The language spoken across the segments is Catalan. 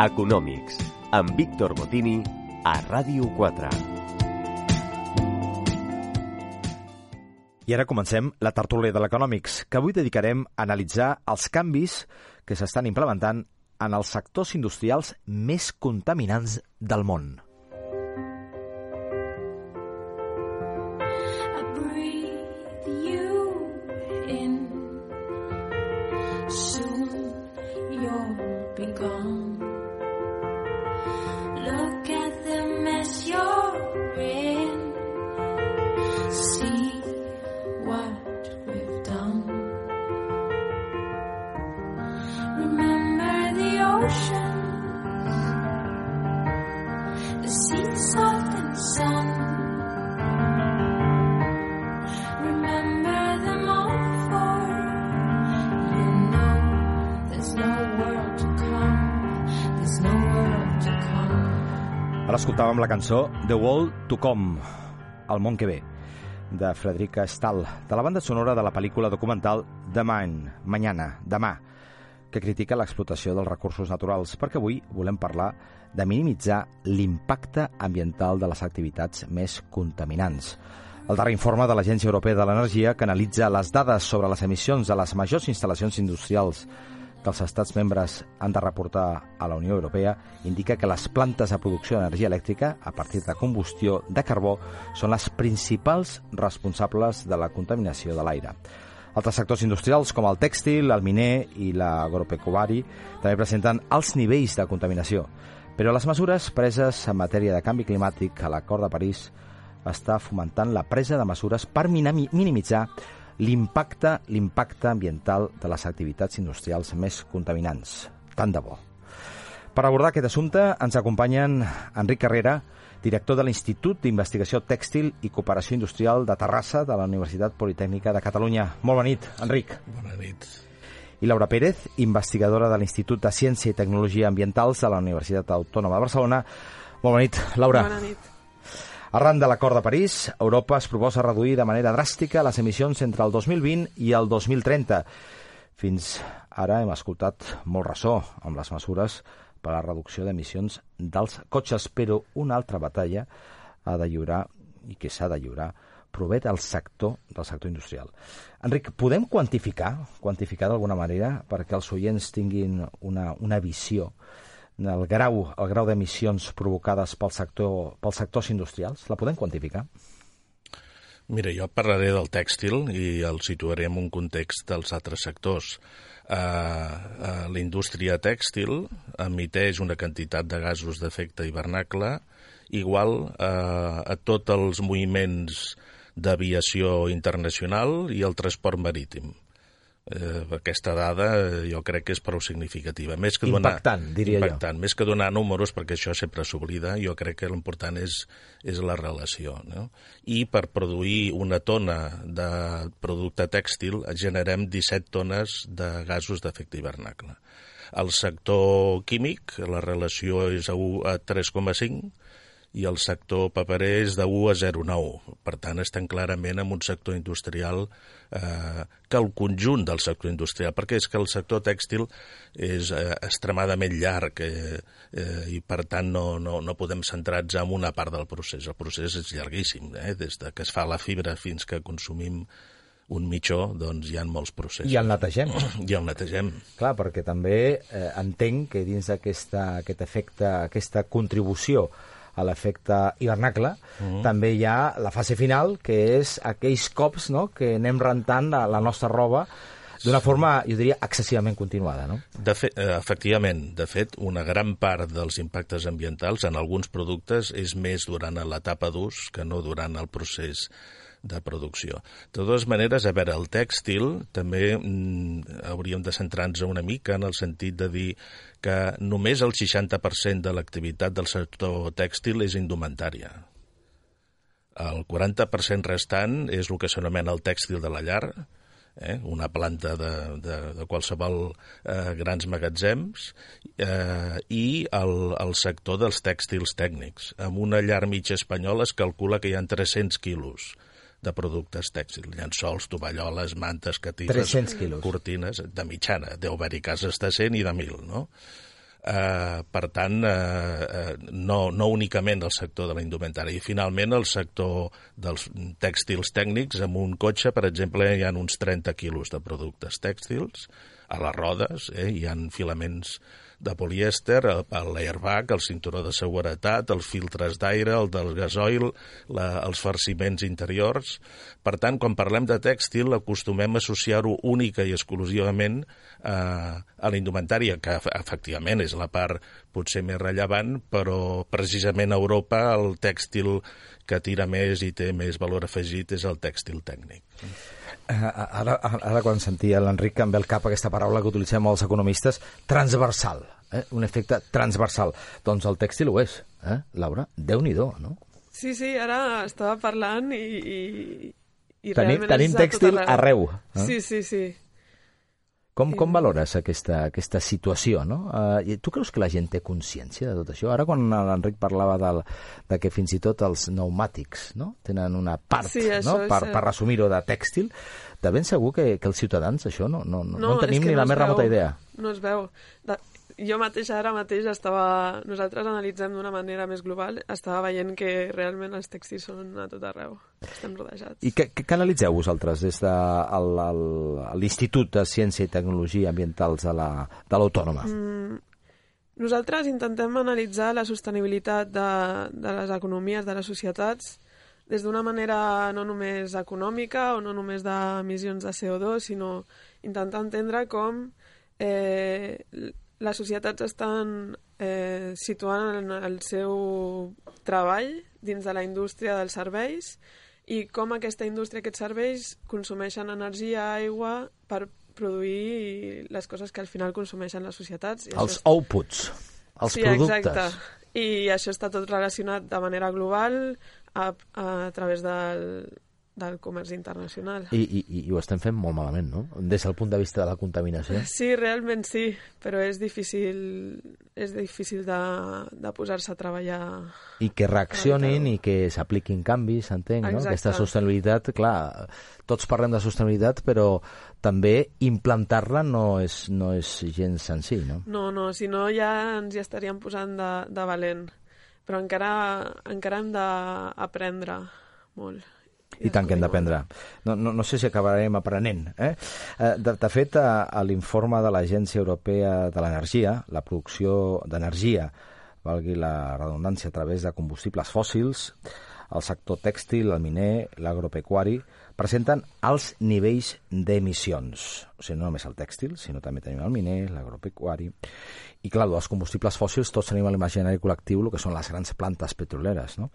Econòmics, amb Víctor Botini, a Ràdio 4. I ara comencem la tertúlia de l'Econòmics, que avui dedicarem a analitzar els canvis que s'estan implementant en els sectors industrials més contaminants del món. Ara escoltàvem la cançó The World to Come, El món que ve, de Frederica Stahl, de la banda sonora de la pel·lícula documental The Mind, Mañana, Demà, que critica l'explotació dels recursos naturals, perquè avui volem parlar de minimitzar l'impacte ambiental de les activitats més contaminants. El darrer informe de l'Agència Europea de l'Energia, que analitza les dades sobre les emissions de les majors instal·lacions industrials que els estats membres han de reportar a la Unió Europea, indica que les plantes de producció d'energia elèctrica a partir de combustió de carbó són les principals responsables de la contaminació de l'aire. Altres sectors industrials, com el tèxtil, el miner i l'agropecuari, també presenten alts nivells de contaminació. Però les mesures preses en matèria de canvi climàtic a l'Acord de París està fomentant la presa de mesures per minimitzar l'impacte ambiental de les activitats industrials més contaminants. Tant de bo. Per abordar aquest assumpte ens acompanyen Enric Carrera, director de l'Institut d'Investigació Tèxtil i Cooperació Industrial de Terrassa de la Universitat Politècnica de Catalunya. Molt bona nit, Enric. Bona nit. I Laura Pérez, investigadora de l'Institut de Ciència i Tecnologia Ambientals de la Universitat Autònoma de Barcelona. Molt bona nit, Laura. Bona nit. Arran de l'Acord de París, Europa es proposa reduir de manera dràstica les emissions entre el 2020 i el 2030. Fins ara hem escoltat molt ressò amb les mesures per a la reducció d'emissions dels cotxes, però una altra batalla ha de lliurar, i que s'ha de lliurar, prové del sector industrial. Enric, podem quantificar d'alguna manera perquè els oients tinguin una visió el grau d'emissions provocades pels sectors industrials? La podem quantificar? Mira, jo parlaré del tèxtil i el situaré en un context dels altres sectors. La indústria tèxtil emiteix una quantitat de gasos d'efecte hivernacle igual a tots els moviments d'aviació internacional i el transport marítim. Aquesta dada jo crec que és prou significativa. Impactant, diria jo. Més que donar números, perquè això sempre s'oblida, jo crec que l'important és la relació. No? I per produir una tona de producte tèxtil generem 17 tones de gasos d'efecte hivernacle. Al sector químic la relació és a 1 a 3,5 i el sector paperer és de 1 a 0,9. Per tant, estem clarament en un sector industrial que el conjunt del sector industrial, perquè és que el sector tèxtil és extremadament llarg i, per tant, no podem centrar-nos en una part del procés. El procés és llarguíssim, des de que es fa la fibra fins que consumim un mitjó, doncs hi ha molts processos. I el netegem. I el netegem. Clar, perquè també entenc que dins d'aquest efecte, aquesta contribució a l'efecte hivernacle, també hi ha la fase final, que és aquells cops, no?, que anem rentant la nostra roba d'una forma, jo diria, excessivament continuada, no? Efectivament. De fet, una gran part dels impactes ambientals en alguns productes és més durant l'etapa d'ús que no durant el procés de producció. De totes maneres, a veure, el tèxtil també hauríem de centrar-nos una mica en el sentit de dir que només el 60% de l'activitat del sector tèxtil és indumentària. El 40% restant és el que s'anomena el tèxtil de la llar, una planta de qualsevol grans magatzems, i el sector dels tèxtils tècnics. En una llar mitja espanyola es calcula que hi ha 300 quilos de productes tèxtils, llençols, tovalloles, mantes, catifes, cortines, de mitjana. Deu haver-hi cases de 100 i de 1.000, no? Per tant, no únicament el sector de la indumentària. I finalment el sector dels tèxtils tècnics, amb un cotxe, per exemple, hi ha uns 30 quilos de productes tèxtils, a les rodes, hi ha filaments de polièster, l'airbag, el cinturó de seguretat, els filtres d'aire, el del gasoil, els farciments interiors. Per tant, quan parlem de tèxtil, acostumem a associar-ho única i exclusivament a la indumentària, que efectivament és la part potser més rellevant, però precisament a Europa el tèxtil que tira més i té més valor afegit és el tèxtil tècnic. Ara quan sentia l'Enric em ve al cap aquesta paraula que utilitzem els economistes, transversal, un efecte transversal. Doncs el tèxtil ho és, Laura? Déu-n'hi-do, no? Sí, ara estava parlant i realment tenim tèxtil arreu. Sí. Com valores aquesta situació, no? Tu creus que la gent té consciència de tot això? Ara quan l'Enric parlava de que fins i tot els pneumàtics, no? Tenen una part, no? Per resumir-ho, de tèxtil, de ben segur que els ciutadans això no en tenim ni la més remota idea. No es veu. Jo mateixa ara mateix nosaltres analitzem d'una manera més global, estava veient que realment els tèxtils són a tot arreu, estem rodejats. I què analitzeu vosaltres des de l'Institut de Ciència i Tecnologia Ambientals de l'Autònoma? Nosaltres intentem analitzar la sostenibilitat de les economies, de les societats, des d'una manera no només econòmica o no només d'emissions de CO2, sinó intentar entendre com les societats estan situant el seu treball dins de la indústria dels serveis i com aquesta indústria, aquests serveis, consumeixen energia, aigua, per produir les coses que al final consumeixen les societats. Els outputs, els productes. Exacte. I això està tot relacionat de manera global a través del comerç internacional. I ho estem fent molt malament, no? Des del punt de vista de la contaminació. Sí, realment sí, però és difícil de posar-se a treballar. I que reaccionin i que s'apliquin canvis, entenc, no? Aquesta sostenibilitat, clar, tots parlem de sostenibilitat, però també implantar-la no és gens senzill, no? No, si no ja ens hi estaríem posant de valent, però encara hem d'aprendre molt. I tant que hem d'aprendre. No sé si acabarem aprenent. De fet, a l'informe de l'Agència Europea de l'Energia, la producció d'energia, valgui la redundància, a través de combustibles fòssils, el sector tèxtil, el miner, l'agropecuari, presenten alts nivells d'emissions. O sigui, no només el tèxtil, sinó també tenim el miner, l'agropecuari. I clar, dels combustibles fòssils tots tenim a l'imaginari col·lectiu el que són les grans plantes petroleres, no?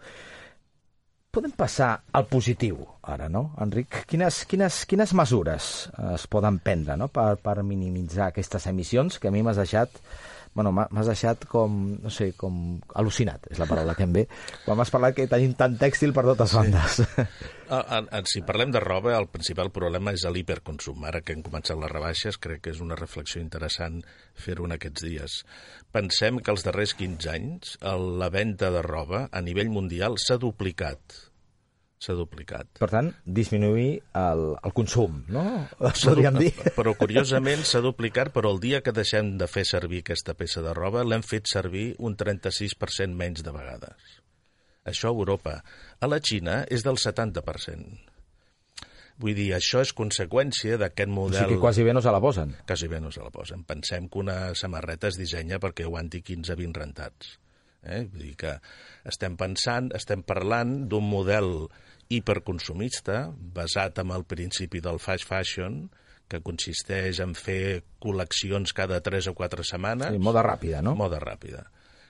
Podem passar al positiu, ara, no, Enric? Quines mesures es poden prendre, no?, per minimitzar aquestes emissions que a mi m'has deixat com, no sé, com al·lucinat, és la paraula que em ve, quan m'has parlat que tenim tant tèxtil per totes bandes. Si parlem de roba, el principal problema és l'hiperconsum. Ara que hem començat les rebaixes, crec que és una reflexió interessant fer-ho en aquests dies. Pensem que els darrers 15 anys la venda de roba a nivell mundial s'ha duplicat. Per tant, disminuir el consum, no? Podríem dir. Però curiosament s'ha duplicat, però el dia que deixem de fer servir aquesta peça de roba l'hem fet servir un 36% menys de vegades. Això a Europa. A la Xina és del 70%. Vull dir, això és conseqüència d'aquest model... O sigui que quasi bé no se la posen. Quasi bé no se la posen. Pensem que una samarreta es dissenya perquè aguanti 15-20 rentats. Vull dir que estem parlant d'un model hiperconsumista basat en el principi del fast fashion, que consisteix en fer col·leccions cada 3 o 4 setmanes. Sí, moda ràpida, no? Moda ràpida.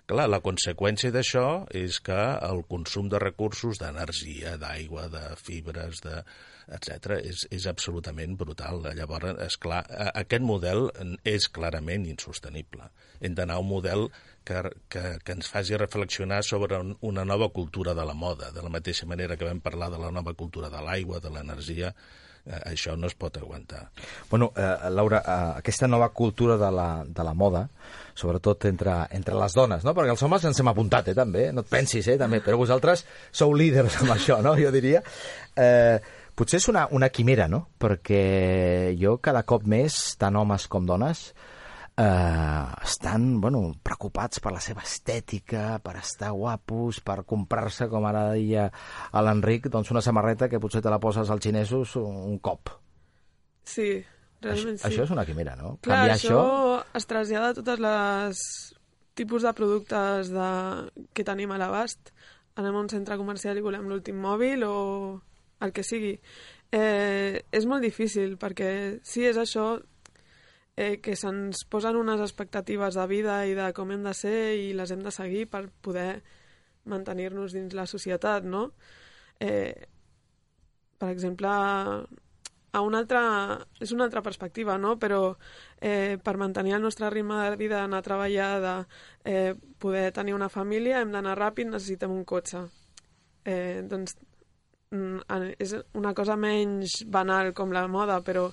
Clar, la conseqüència d'això és que el consum de recursos, d'energia, d'aigua, de fibres, etc., és absolutament brutal. Llavors, esclar, aquest model és clarament insostenible. Hem d'anar a un model que ens faci reflexionar sobre una nova cultura de la moda, de la mateixa manera que vam parlar de la nova cultura de l'aigua, de l'energia. Això no es pot aguantar. Bueno, Laura, aquesta nova cultura de la moda, sobretot entre les dones, no? Perquè els homes ens hem apuntat, també, no et pensis, també, però vosaltres sou líders amb això, no? Jo diria. Potser és una quimera, no? Perquè jo cada cop més, tant homes com dones, estan preocupats per la seva estètica, per estar guapos, per comprar-se, com ara deia l'Enric, doncs una samarreta que potser te la poses als xinesos un cop. Sí, realment sí. Això és una quimera, no? Clar, això es trasllada a totes les tipus de productes que tenim a l'abast. Anem a un centre comercial i volem l'últim mòbil o el que sigui. És molt difícil perquè sí, és això que se'ns posen unes expectatives de vida i de com hem de ser i les hem de seguir per poder mantenir-nos dins la societat, no? Per exemple, és una altra perspectiva, no? Però per mantenir el nostre ritme de vida, anar a treballar, poder tenir una família, hem d'anar ràpid, necessitem un cotxe. Doncs és una cosa menys banal com la moda, però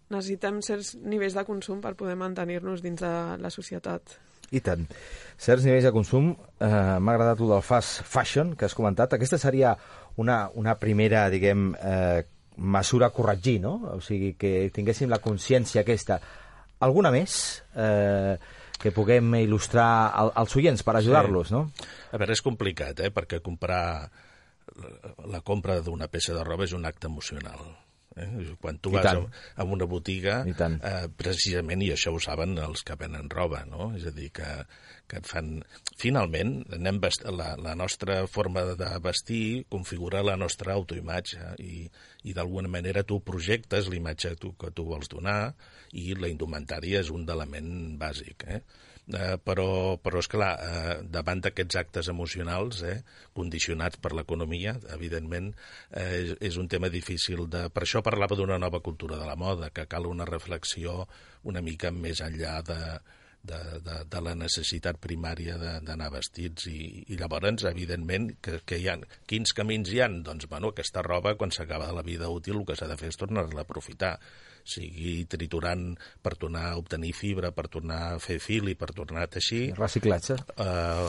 necessitem certs nivells de consum per poder mantenir-nos dins de la societat. I tant. Certs nivells de consum. M'ha agradat el del fast fashion que has comentat. Aquesta seria una primera, diguem, mesura a corregir, no? O sigui, que tinguéssim la consciència aquesta. Alguna més que puguem il·lustrar als oients per ajudar-los, no? A veure, és complicat, perquè comprar la compra d'una peça de roba és un acte emocional. Quan tu vas a una botiga, precisament, i això ho saben els que venen roba, no? És a dir, que et fan... Finalment, la nostra forma de vestir configura la nostra autoimatge i d'alguna manera tu projectes l'imatge que tu vols donar i la indumentària és un element bàsic, però esclar, davant d'aquests actes emocionals condicionats per l'economia, evidentment és un tema difícil per això parlava d'una nova cultura de la moda, que cal una reflexió una mica més enllà de la necessitat primària d'anar vestits i llavors, evidentment, que hi ha quins camins hi ha? Doncs, aquesta roba, quan s'acaba de la vida útil, el que s'ha de fer és tornar-la a aprofitar, sigui triturant per tornar a obtenir fibra, per tornar a fer fil i per tornar a teixir. Reciclatge.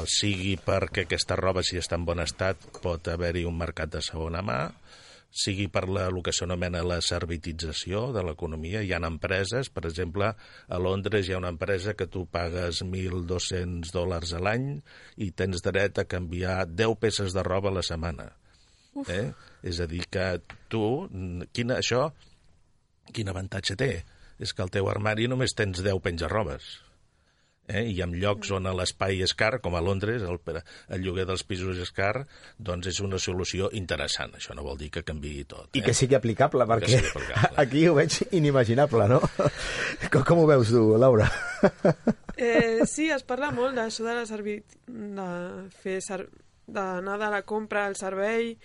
Sigui perquè aquesta roba, si està en bon estat, pot haver-hi un mercat de segona mà, sigui per el que s'anomena la servitització de l'economia. Hi ha empreses, per exemple, a Londres hi ha una empresa que tu pagues $1.200 a l'any i tens dret a canviar 10 peces de roba a la setmana. És a dir, que tu, quin avantatge té? És que al teu armari només tens 10 penjarrobes. I en llocs on l'espai és car, com a Londres, el lloguer dels pisos és car, doncs és una solució interessant. Això no vol dir que canviï tot. I que sigui aplicable, perquè aquí ho veig inimaginable, no? Com ho veus tu, Laura? Sí, es parla molt d'això d'anar de la compra al servei.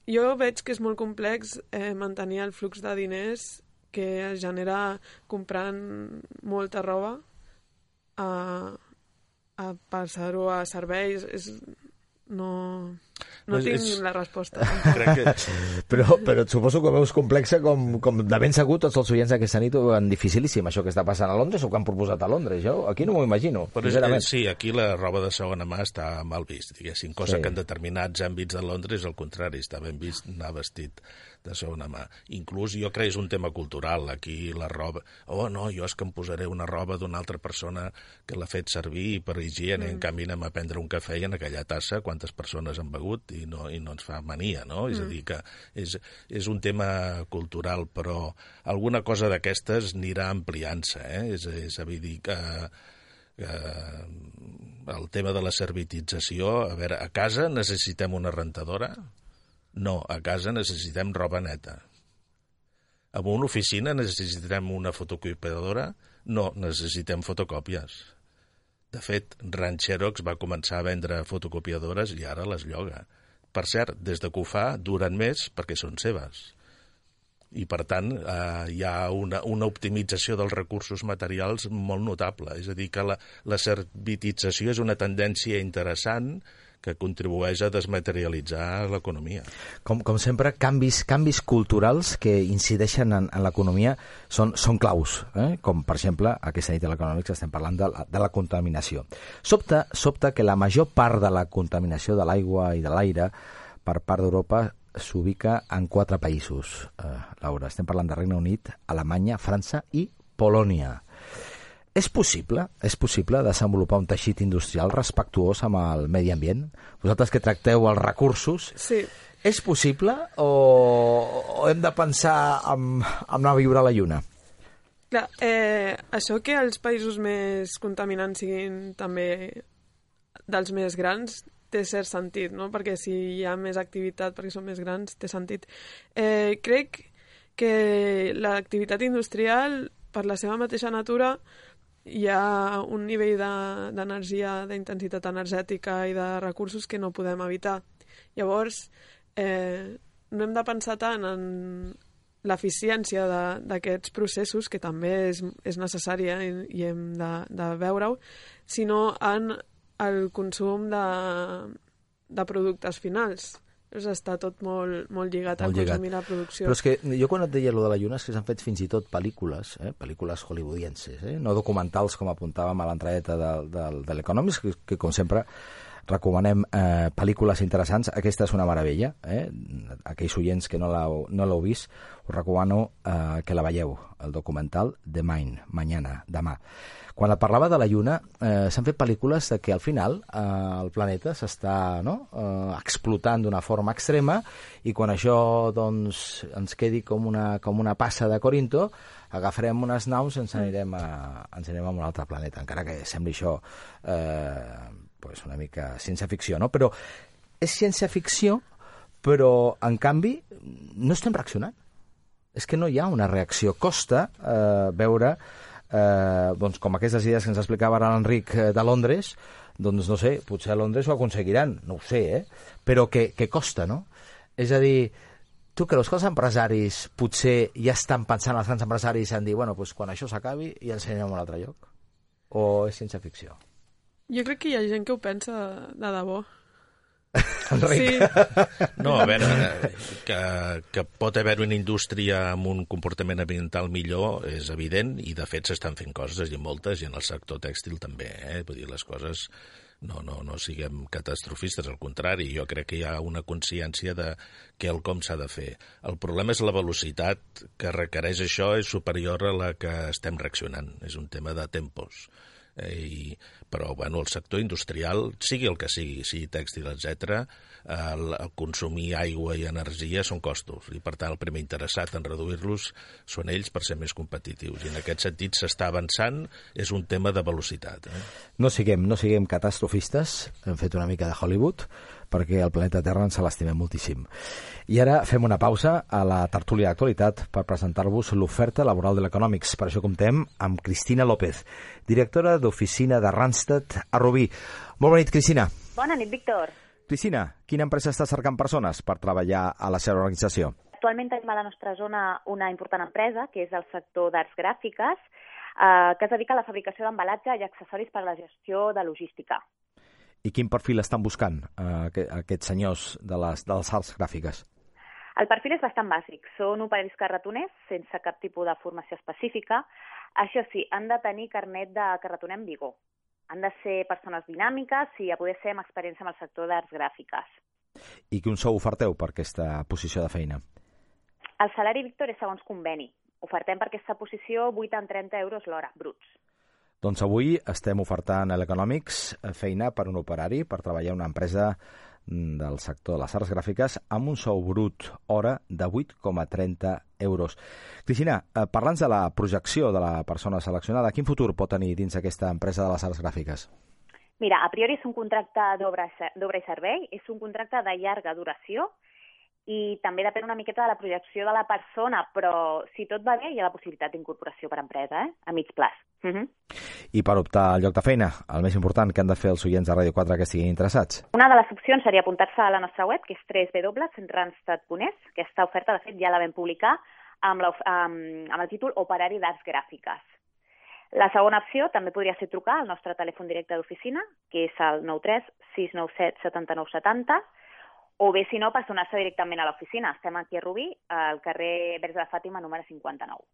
Jo veig que és molt complex mantenir el flux de diners que es genera comprant molta roba a passar-ho a serveis. No tinc la resposta. Però suposo que ho veus complexa com de ben segur tots els oients d'aquesta nit ho veuen dificilíssim, això que està passant a Londres o que han proposat a Londres. Jo aquí no m'ho imagino. Sí, aquí la roba de segona mà està mal vist, diguéssim, cosa que en determinats àmbits de Londres, al contrari, està ben vist anar vestit de segona mà. Inclús jo crec que és un tema cultural. Aquí la roba... no, jo és que em posaré una roba d'una altra persona que l'ha fet servir per higiene, en canvi anem a prendre un cafè i en aquella tassa quantes persones han begut i no ens fa mania, no? És a dir, que és un tema cultural, però alguna cosa d'aquestes anirà ampliant-se, És a dir, que el tema de la servitització, a veure, a casa necessitem una rentadora? No, a casa necessitem roba neta. En una oficina necessitem una fotocopiadora? No, necessitem fotocòpies. De fet, Xerox va començar a vendre fotocopiadores i ara les lloga. Per cert, des que ho fa, duren més perquè són seves. I, per tant, hi ha una optimització dels recursos materials molt notable. És a dir, que la servitització és una tendència interessant que contribueix a desmaterialitzar l'economia. Com sempre, canvis culturals que incideixen en l'economia són claus, com, per exemple, aquesta nit a l'Econòmics estem parlant de la contaminació. Sobta que la major part de la contaminació de l'aigua i de l'aire per part d'Europa s'ubica en 4 països. Laura, estem parlant de Regne Unit, Alemanya, França i Polònia. És possible desenvolupar un teixit industrial respectuós amb el medi ambient? Vosaltres que tracteu els recursos, Sí. és possible o hem de pensar en anar a viure a la Lluna? Clar, això que els països més contaminants siguin també dels més grans té cert sentit, no? Perquè si hi ha més activitat, perquè són més grans, té sentit. Crec que l'activitat industrial, per la seva mateixa natura, hi ha un nivell d'energia, d'intensitat energètica i de recursos que no podem evitar. Llavors, no hem de pensar tant en l'eficiència d'aquests processos, que també és necessària i hem de veure-ho, sinó en el consum de productes finals. Està tot molt lligat al consum i la producció. Però és que jo quan et deia allò de la Lluna és que s'han fet fins i tot pel·lícules, pel·lícules hollywoodienses, no documentals com apuntàvem a l'entradeta de l'Economist, que com sempre recomanem pel·lícules interessants. Aquesta és una meravella, aquells oients que no l'heu vist, us recomano que la veieu, el documental The Mind, Mañana, demà. Quan et parlava de la Lluna, s'han fet pel·lícules que al final el planeta s'està explotant d'una forma extrema i quan això doncs, ens quedi com una passa de Corinto, agafarem unes naus i ens anirem a un altre planeta, encara que sembli això una mica ciència-ficció, no? Però és ciència-ficció, però en canvi no estem reaccionant. És que no hi ha una reacció. Costa veure doncs com aquestes idees que ens explicava ara l'Enric de Londres, doncs no sé, potser a Londres ho aconseguiran, no ho sé, però que costa, no? És a dir, tu creus que els empresaris potser ja estan pensant, els grans empresaris, en dir, bueno, doncs quan això s'acabi ja ens anirem a un altre lloc? O és ciència-ficció? Jo crec que hi ha gent que ho pensa de debò. Enric. Sí. No, a veure, que pot haver una indústria amb un comportament ambiental millor és evident i de fet s'estan fent coses i moltes i en el sector tèxtil també, vull dir, les coses no siguem catastrofistes, al contrari, jo crec que hi ha una consciència de quelcom s'ha de fer. El problema és la velocitat que requereix això és superior a la que estem reaccionant, és un tema de tempos. Però bueno, el sector industrial, sigui el que sigui tèxtil, etc., el consumir aigua i energia són costos i per tant el primer interessat en reduir-los són ells per ser més competitius i en aquest sentit s'està avançant, és un tema de velocitat. No siguem catastrofistes, hem fet una mica de Hollywood perquè el planeta Terra ens l'estimem moltíssim. I ara fem una pausa a la tertúlia d'actualitat per presentar-vos l'oferta laboral de l'Economics. Per això comptem amb Cristina López, directora d'oficina de Randstad a Rubí. Molt bona nit, Cristina. Bona nit, Víctor. Cristina, quina empresa està cercant persones per treballar a la seva organització? Actualment tenim a la nostra zona una important empresa, que és el sector d'arts gràfiques, que es dedica a la fabricació d'embalatge i accessoris per a la gestió de logística. I quin perfil estan buscant aquests senyors de les arts gràfiques? El perfil és bastant bàsic. Són operaris carretoners sense cap tipus de formació específica. Això sí, han de tenir carnet de carretoner en vigor. Han de ser persones dinàmiques i a poder ser amb experiència en el sector d'arts gràfiques. I quin sou oferteu per aquesta posició de feina? El salari, Víctor, és segons conveni. Ofertem per aquesta posició 8,30 euros l'hora, bruts. Doncs avui estem ofertant a l'Economics feina per un operari per treballar en una empresa del sector de les arts gràfiques amb un sou brut hora de 8,30 euros. Cristina, parla'ns de la projecció de la persona seleccionada. Quin futur pot tenir dins aquesta empresa de les arts gràfiques? Mira, a priori és un contracte d'obra i servei, és un contracte de llarga duració i també depèn una miqueta de la projecció de la persona, però si tot va bé hi ha la possibilitat d'incorporació per empresa, a mig plaç. I per optar al lloc de feina, el més important que han de fer els oients de Ràdio 4 que estiguin interessats? Una de les opcions seria apuntar-se a la nostra web, que és www.randstad.es. Aquesta oferta, de fet, ja la vam publicar amb el títol Operari d'Arts Gràfiques. La segona opció també podria ser trucar al nostre telèfon directe d'oficina, que és el 93 697 79 70, o bé, si no, personar-se directament a l'oficina. Estem aquí a Rubí, al carrer Verge de Fàtima, número 59.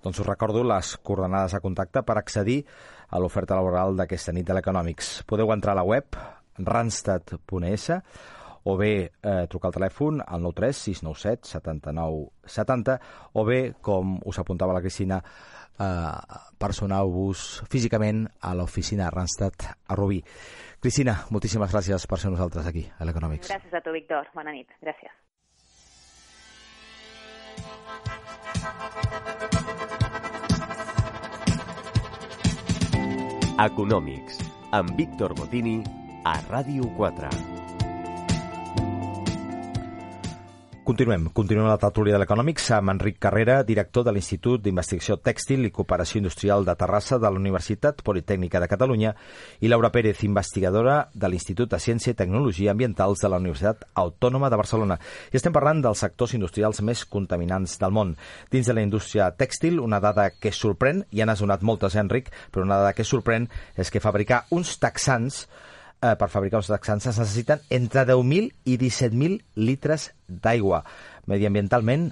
Doncs us recordo les coordenades a contacte per accedir a l'oferta laboral d'aquesta nit de l'Economics. Podeu entrar a la web randstad.es o bé trucar al telèfon al 93 697 79 70, o bé, com us apuntava la Cristina, personeu-vos físicament a l'oficina Randstad a Rubí. Cristina, moltíssimes gràcies per ser nosaltres aquí a l'Economics. Gràcies a tu, Víctor. Bona nit. Gràcies. Econòmics, amb Víctor Botini, a Ràdio 4. Continuem la tertúlia de l'Econòmics amb Enric Carrera, director de l'Institut d'Investigació Tèxtil i Cooperació Industrial de Terrassa de la Universitat Politècnica de Catalunya, i Laura Pérez, investigadora de l'Institut de Ciència i Tecnologia Ambientals de la Universitat Autònoma de Barcelona. I estem parlant dels sectors industrials més contaminants del món. Dins de la indústria tèxtil, una dada que sorprèn, ja n'has donat moltes, Enric, però una dada que sorprèn és que per fabricar uns texans es necessiten entre 10.000 i 17.000 litres d'aigua. Mediambientalment,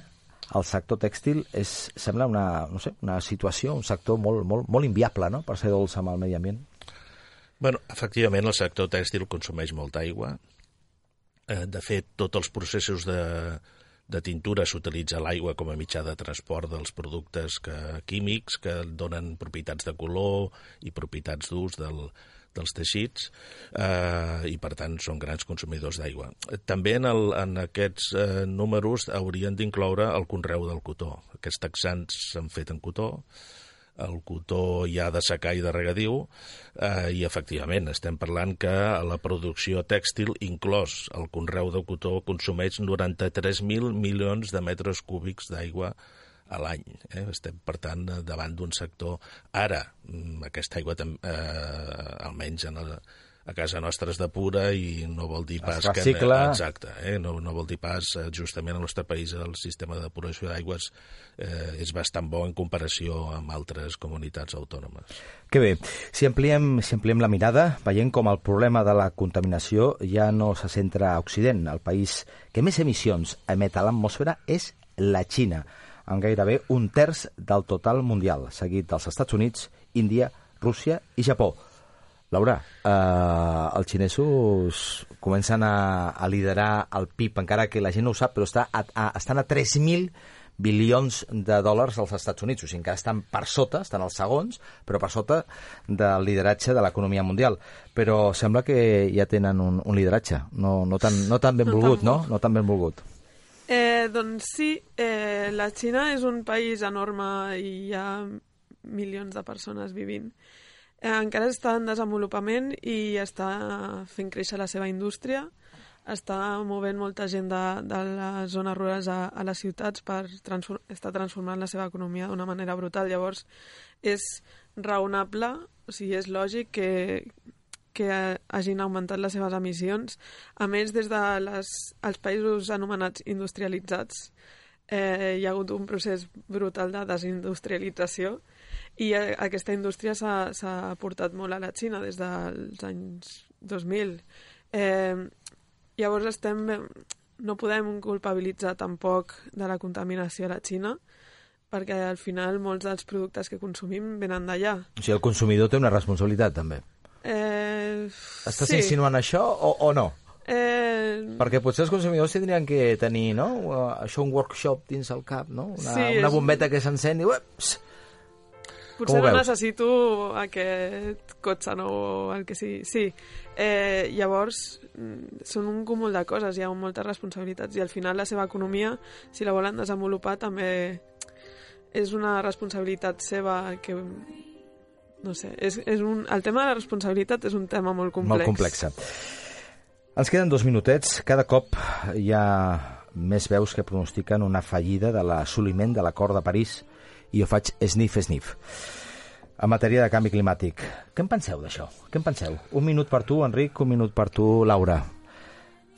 el sector tèxtil sembla una situació, un sector molt inviable, no?, per ser dolç amb el medi ambient. Bueno, efectivament, el sector tèxtil consumeix molta aigua. De fet, tots els processos de tintura s'utilitza l'aigua com a mitjà de transport dels productes químics que donen propietats de color i propietats d'ús dels teixits, i per tant són grans consumidors d'aigua. També en aquests números haurien d'incloure el conreu del cotó. Aquests texans s'han fet en cotó, el cotó hi ha de secà i de regadiu, i efectivament estem parlant que la producció tèxtil, inclòs el conreu de cotó, consumeix 93.000 milions de metres cúbics d'aigua a l'any. Estem, per tant, davant d'un sector. Ara, aquesta aigua, almenys a casa nostra, es depura i no vol dir pas que... Exacte. No vol dir pas, justament al nostre país, el sistema de depuració d'aigües és bastant bo en comparació amb altres comunitats autònomes. Que bé. Si ampliem la mirada, veiem com el problema de la contaminació ja no se centra a Occident. El país que més emissions emet a l'atmosfera és la Xina, amb gairebé un terç del total mundial, seguit dels Estats Units, Índia, Rússia i Japó. Laura, els xinesos comencen a liderar el PIB, encara que la gent no ho sap, però estan a 3.000 bilions de dòlars als Estats Units, o sigui, encara estan per sota, estan els segons, però per sota del lideratge de l'economia mundial. Però sembla que ja tenen un lideratge, no tan ben volgut, no? No tan ben volgut. Doncs sí, la Xina és un país enorme i hi ha milions de persones vivint. Encara està en desenvolupament i està fent créixer la seva indústria, està movent molta gent de les zones rurals a les ciutats per estar transformant la seva economia d'una manera brutal. Llavors, és raonable, o sigui, és lògic que hagin augmentat les seves emissions. A més, des dels països anomenats industrialitzats, hi ha hagut un procés brutal de desindustrialització i aquesta indústria s'ha portat molt a la Xina des dels anys 2000. Llavors no podem culpabilitzar tampoc de la contaminació a la Xina, perquè al final molts dels productes que consumim venen d'allà. O sigui, el consumidor té una responsabilitat, també. Estàs insinuant això o no? Perquè potser els consumidors tindrien que tenir, no? Això, un workshop dins el cap, no? Una bombeta que s'encén i... Potser no necessito aquest cotxe nou o el que sigui. Sí, llavors són un cúmul de coses, hi ha moltes responsabilitats i al final la seva economia, si la volen desenvolupar, també és una responsabilitat seva que... No sé, el tema de la responsabilitat és un tema molt complex. Molt complexa. Ens queden 2 minutets. Cada cop hi ha més veus que pronostiquen una fallida de l'assoliment de l'Acord de París i jo faig sniff. En matèria de canvi climàtic, què en penseu d'això? Què en penseu? 1 minut per tu, Enric, 1 minut per tu, Laura.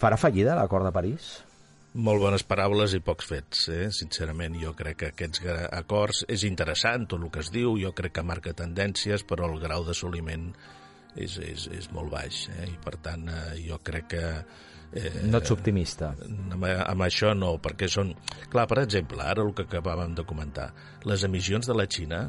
Farà fallida l'Acord de París? Molt bones paraules i pocs fets, sincerament. Jo crec que aquests acords és interessant, tot el que es diu, jo crec que marca tendències, però el grau d'assoliment és molt baix, i per tant jo crec que... No ets optimista. Amb això no, perquè són... Clar, per exemple, ara el que acabàvem de comentar, les emissions de la Xina,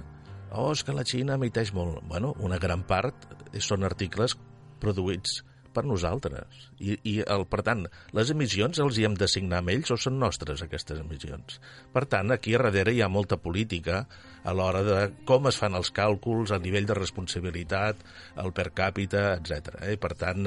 és que la Xina emiteix molt. Bueno, una gran part són articles produïts per nosaltres. Per tant, les emissions els hi hem d'assignar amb ells o són nostres, aquestes emissions? Per tant, aquí darrere hi ha molta política a l'hora de com es fan els càlculs, el nivell de responsabilitat, el per càpita, etc. Per tant,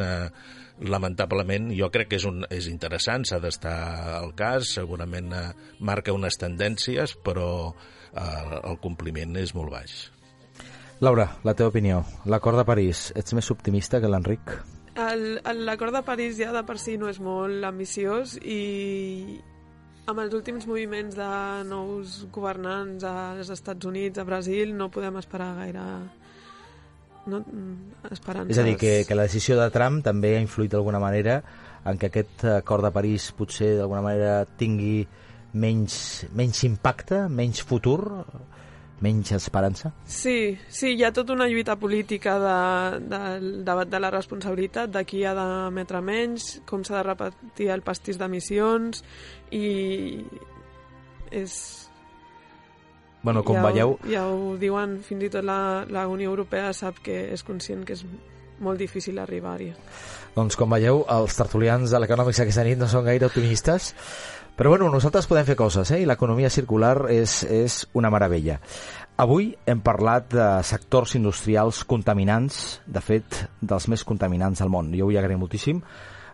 lamentablement, jo crec que és interessant, s'ha d'estar al cas, segurament marca unes tendències, però el compliment és molt baix. Laura, la teva opinió. L'acord de París, ets més optimista que l'Enric? L'acord de París ja de per si no és molt ambiciós i amb els últims moviments de nous governants als Estats Units, a Brasil, no podem esperar gaire esperances. És a dir, que la decisió de Trump també ha influït d'alguna manera en que aquest acord de París potser d'alguna manera tingui menys impacte, menys futur, menys esperança? Sí, hi ha tota una lluita política del debat de la responsabilitat, de qui ha d'emetre menys, com s'ha de repetir el pastís d'emissions, i és... Bueno, com veieu... Ja ho diuen, fins i tot la Unió Europea sap que és conscient que és molt difícil arribar-hi. Doncs com veieu, els tertulians de l'Econòmics aquesta nit no són gaire optimistes, però bueno, nosaltres podem fer coses, i l'economia circular és una meravella. Avui hem parlat de sectors industrials contaminants, de fet, dels més contaminants del món. Jo vull agrair moltíssim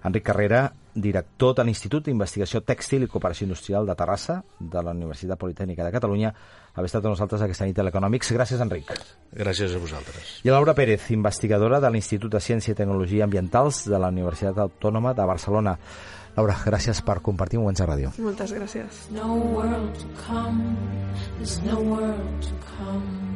Enric Carrera, director de l'Institut d'Investigació Tèxtil i Cooperació Industrial de Terrassa, de la Universitat Politècnica de Catalunya, haver estat amb nosaltres aquesta nit a l'Econòmics. Gràcies, Enric. Gràcies a vosaltres. I a Laura Pérez, investigadora de l'Institut de Ciència i Tecnologia Ambientals de la Universitat Autònoma de Barcelona. Laura, gràcies per compartir moments a ràdio. Moltes gràcies. No world to come, there's no world to come.